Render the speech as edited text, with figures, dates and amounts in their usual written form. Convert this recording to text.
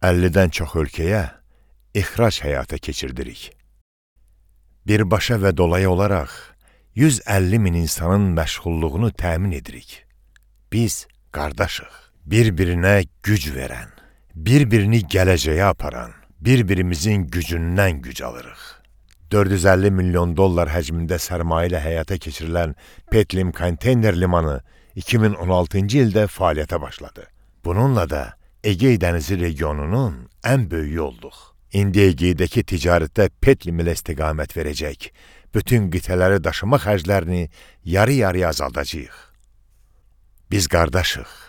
50-dən çox ölkəyə ixrac həyata keçirdirik. Birbaşa və dolayı olaraq 150 min insanın məşğulluğunu təmin edirik. Biz qardaşıq. Bir-birinə güc verən, bir-birini gələcəyə aparan, bir-birimizin gücündən güc alırıq. 450 milyon dollar həcmində sərmayə ilə həyata keçirilən Petlim konteyner limanı 2016-cı ildə fəaliyyətə başladı. Bununla da Egey dənizi regionunun ən böyüyü olduq. İndi Egeydəki ticarətdə Petlim ilə istiqamət verəcək, bütün qitələri daşıma xərclərini yarı-yarıya azaldacağıq. Biz qardaşıq.